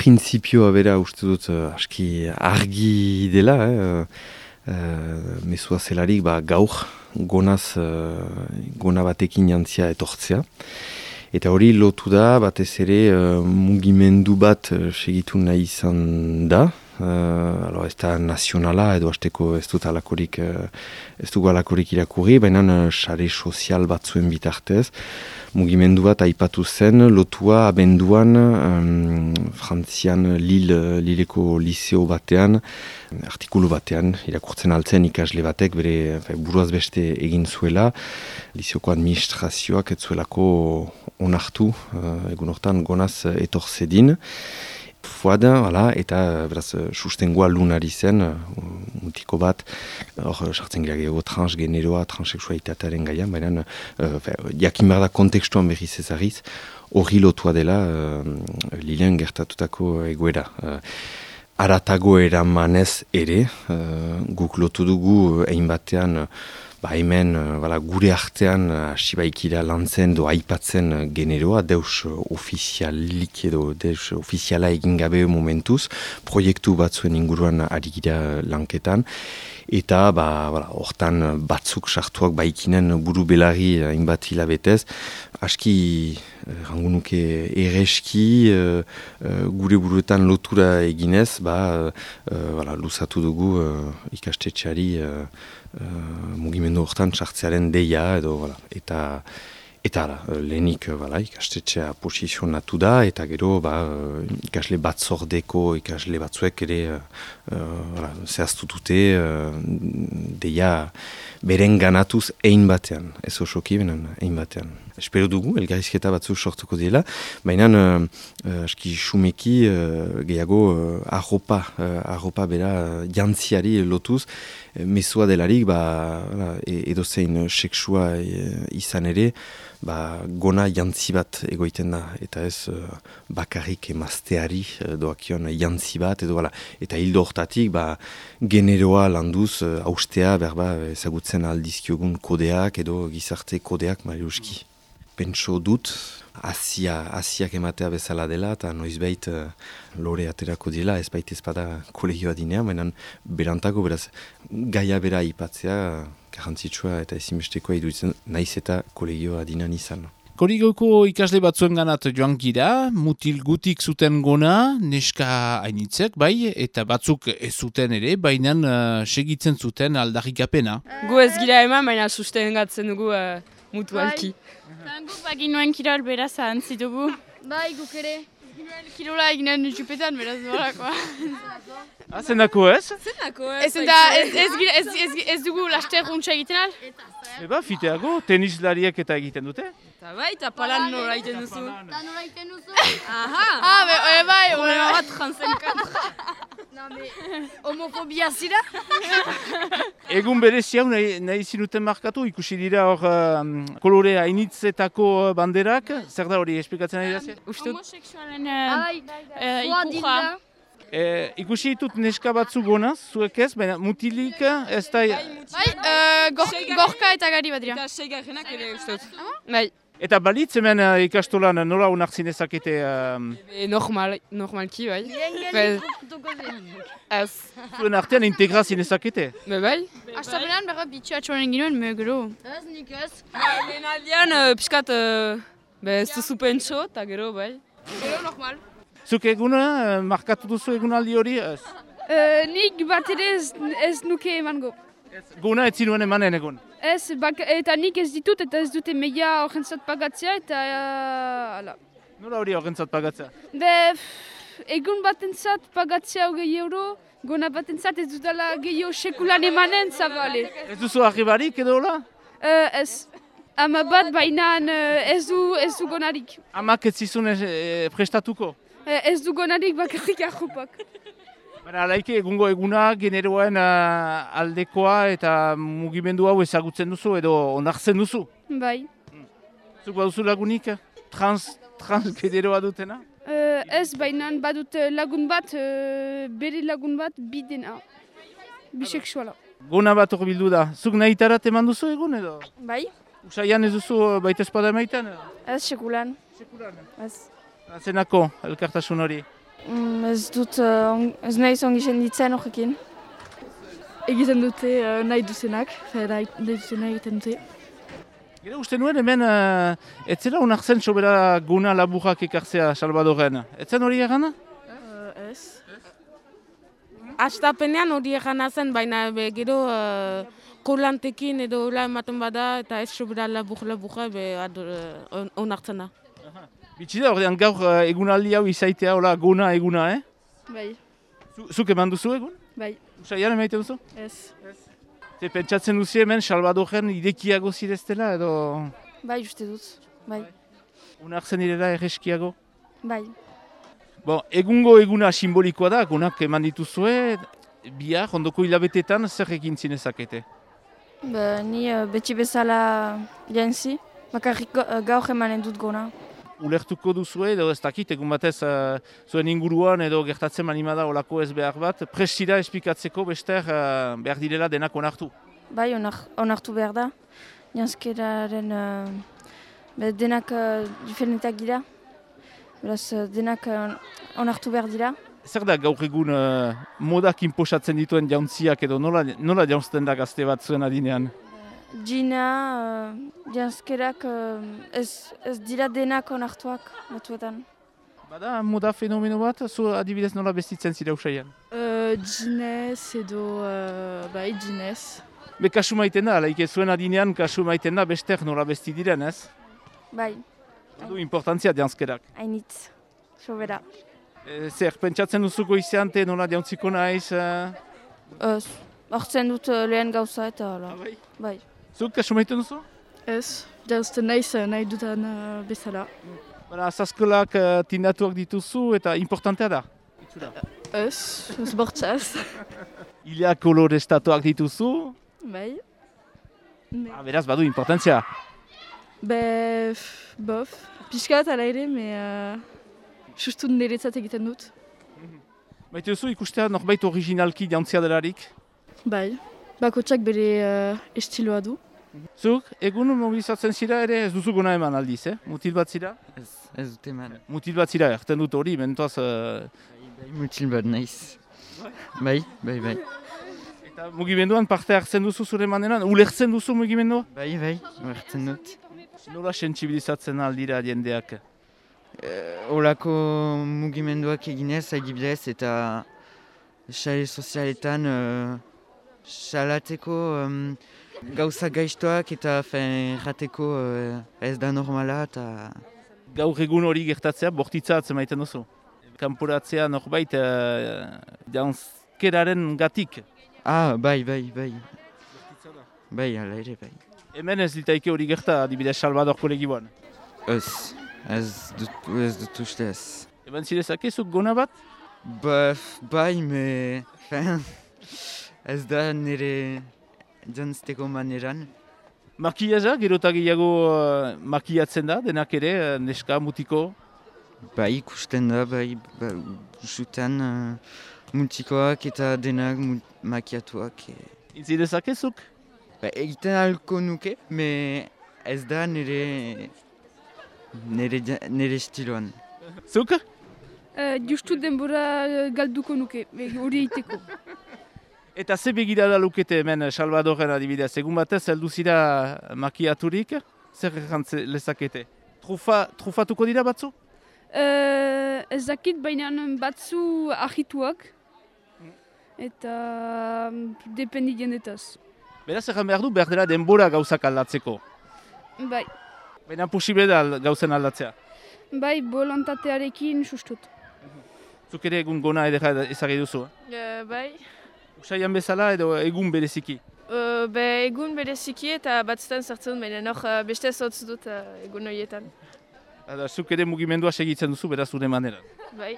printzipioa bera uste dut aski argi dela, mezua zelarik gaur gonaz, gona batekin jantzia etortzea. Eta hori lotu da, batez ere mugimendu bat segitu nahi izan da. Ez da nazionala edo hasteko ez dugu alakorik irakurri, baina sare sozial batzuen bitartez. Mugimendu bat aipatu zen, lotua abenduan Frantzian Lileko liseo batean, artikulu batean, irakurtzen altzen ikasle batek, bere buruaz beste egin zuela, liseoko administrazioak ez zuelako onartu, egun hortan gonaz etorzedin. Fuada, eta beraz, sustengoa lunari zen, mutiko bat, hor sartzen gira gehiago transgeneroa, transexualitatearen gaian, baina jakin behar da kontekstuan berriz ezagriz, hori lotua dela Lilean gertatutako egoera. Aratago eramanez ere, guk lotu dugu egin batean, hemen gure artean hasi baikira lantzen do aipatzen generoa, deus ofizialik edo deus ofiziala egin gabe momentuz, proiektu batzuen inguruan ari gira lanketan, eta hortan batzuk sartuak baikinen buru belarri hainbat hilabetez, aski rangunuke ereski gure buruetan lotura eginez, luzatu dugu ikastetxeari mugimendu hortan sartzearen deia edo eta lehenik ikastetxea posizionatu da eta gero ikasle batzordeko ikasle batzuek ere zehaztu dute deia beren ganatuz ein batean, ez osoki benen ein batean. Espero dugu, elgarrizketa batzu sortuko dela, baina aski xumeki gehiago arropa bera jantziari lotuz, mezua delarik edozein seksua izan ere, gona jantzi bat egoiten da, eta ez bakarrik emazteari doakion jantzi bat, eta hildo hortatik generoa landuz haustea ezagutzen aldizkiogun kodeak edo gizarte kodeak mariuski. Pentso dut, Asiak ematea bezala dela, eta noizbait lore aterako dela, ez baita ezpada kolegioa dinean, baina berantako, beraz, gaia bera ipatzea, garrantzitsua eta ezinbestekoa iduditzen, naiz eta kolegioa dinean izan. Kolegioko ikasle batzuen ganat joan gira, mutil gutik zuten gona, neska hainitzek, eta batzuk ez zuten ere, baina segitzen zuten aldarrikapena. Gu ez gira eman, baina sustengatzen dugu mutualki. Guk baginuen kirol beraz ahantzi dugu. Guk ere. Kirola eginen jupetan beraz norakoa. Zendako ez? Zendako ez. Ez dugu laster runtxa egiten al? Fiteago, tenislariak eta egiten dute? Eta palan nora egiten duzu. Problema bat jantzen kantra. Homofobia zira? Egun berezi hau nahi zinuten markatu, ikusi dira hor kolore hainitzetako banderak, zer da hori esplikatzen nahi da? Homoseksualen ikurra. Ikusi ditut neska batzuk gonaz, zuek ez, baina mutilik ez da... Gorka eta gari bat dira. Eta seigarrenak ere ustut. Eta balitz hemen ikastolan nola onartzen ezakete... Normalki, bai. Ez. Zuen artean integrazien ezakete? Bai. Astapenean berra bitxu atxoren ginoen, gero. Ez, nik ez. Lehen aldean, piskat, ez duzu pentso, eta gero, bai. Gero normal. Zuk eguna, markatu duzu egunaldi hori? Nik bat ere ez nuke emango. Guna ez zinuen emanen egun? Ez, eta nik ez ditut eta ez dute meia horrentzat pagatzea eta... Nola hori horrentzat pagatzea? Egun batentzat pagatzea €20, gona batentzat ez dutela gehiago sekulan emanen, zabale. Ez duzu arribarik edo hola? Ez. Ama bat bainan ez du gonarik. Amak ez zizun prestatuko? Ez du gonarik bakarrik arropak. Alaike egungo eguna generoen aldekoa eta mugimendu hau ezagutzen duzu edo onartzen duzu? Bai. Zuk baduzu lagunik transgeneroa dutena? Ez bainan badut lagun bat, bere lagun bat bidena, bisexuala. Gona bat hor bildu da. Zuk nahitarat eman duzu egun edo? Bai. Usaian ez duzu baita espada emaiten? Ez sekulan. Sekulan? Ez. Zenako elkartasun hori? Ez nahi zongi senditzen horrekin. Egiten dute nahi duzenak, nahi duzena egiten dute. Gero uste nuen hemen, etzela onartzen sobera guna laburrak ekartzea Salvadoren. Etzen hori egana? Ez. Astapenean hori egana zen, baina gero kolantekin edo hola ematen bada eta ez sobera laburra onartzen da. Bitxida, ordean gaur egunaldi hau izaitea, hola, guna eguna, Bai, Zuk eman duzu egun? bai, Usaian emaiten duzu? ez. Ze pentsatzen duzu hemen Salvadoren irekiago zireztela edo Bai, uste dut. Bai, onartzen direla erreskiago? bai. Bon, egungo eguna simbolikoa da, gunak eman dituzue, bihar, ondoko hilabetetan zer egin zinezakete? Ni beti bezala jantzi, bakarrik gaur emanen dut gona. Ulertuko duzue edo ez dakit, egun batez zuen inguruan edo gertatzen manimada olako ez behar bat, prestira esplikatzeko bester behar direla denak onartu. Bai, onartu behar da. Janzkeraren denak diferenteak dira. Beraz, denak onartu behar dira. Zer da gaur egun modak inposatzen dituen jauntziak edo nola jaunzten da gazte bat zuen adinean? Gina, janzkerak ez dira denak onartuak batuetan. Bada moda fenomeno bat, zu adibidez nola bestitzen zira usaian? Ginez edo, bai, ginez. Be kasu maiten da, laike zuen adinean kasu maiten da bester nola besti diren, ez? Bai, Du importantzia janzkerak. hainitz, sobera. Zer, pentsatzen duzuko izante nola jauntziko naiz? Hortzen dut lehen gauza eta hala. Bai. Bai. Zuk kasu maiten duzu? Ez, janzten nahi dutan bezala. Bara, azazkolak tindatuak dituzu eta importantea da. Ez bortzaz. Ilia kolorestatuak dituzu, Bai. beraz badu importantzia. Bof, pixkat ala ere, sustu niretzat egiten dut. Maite duzu ikustea norbait originalki jantzia delarik? Bai, bakotsak bere estiloa du. Zuk, egun mobilizatzen zira ere ez duzu gona eman aldiz, Mutil bat zira? Ez dut eman. Mutil bat zira, erten dut hori, mentoaz... Bai, mutil bat naiz. Bai. Eta mugimenduan parte hartzen duzu zure maneran? Ulertzen duzu mugimendua? Bai, ulertzen dut. Nola sentsibilizatzen aldira jendeak? Olako mugimenduak eginez, adibidez, eta sare sozialetan salatzeko gauza gaiztoak eta jateko ez da normala eta... Gaur egun hori gertatzea, bortitza atzemaiten duzu. Kanporatzea norbait janzkeraren gatik. Bai. Bai, ala ere, bai. Hemen ez litaike hori gerta, adibidez Salvador kolegiboan. Ez dut uste ez. Eban zirezakezuk gona bat? Bai, ez da nire jantzteko maneran. Makiaza, gero eta gehiago makiatzen da, denak ere, neska, mutiko. Bai, ikusten da, usutan mutikoak eta denak makiatuak. Intzirezakezuk? Egiten ahalko nuke, ez da nire estiloan. Zuk? Justu denbora galduko nuke, hori eiteko. Eta ze begirada lukete hemen Salvadoren adibidez, egun batez heldu zira makiaturik, zer errantze lezakete? Trufatuko dira batzu? Ez dakit, baina batzu ahituak eta dependi jendetaz. Beraz erran behar du, behar dela denbora gauzak aldatzeko. Bai, Baina posible da gauzen aldatzea. bai, bolontatearekin sustut. Zuk ere egun gona edera ezagri duzu. Bai, Usaian bezala edo egun bereziki. egun bereziki eta batzutan sartzen, baina beste zotz dut egun horietan. Zuk ere mugimendua segitzen duzu, beraz zure maneran. Bai.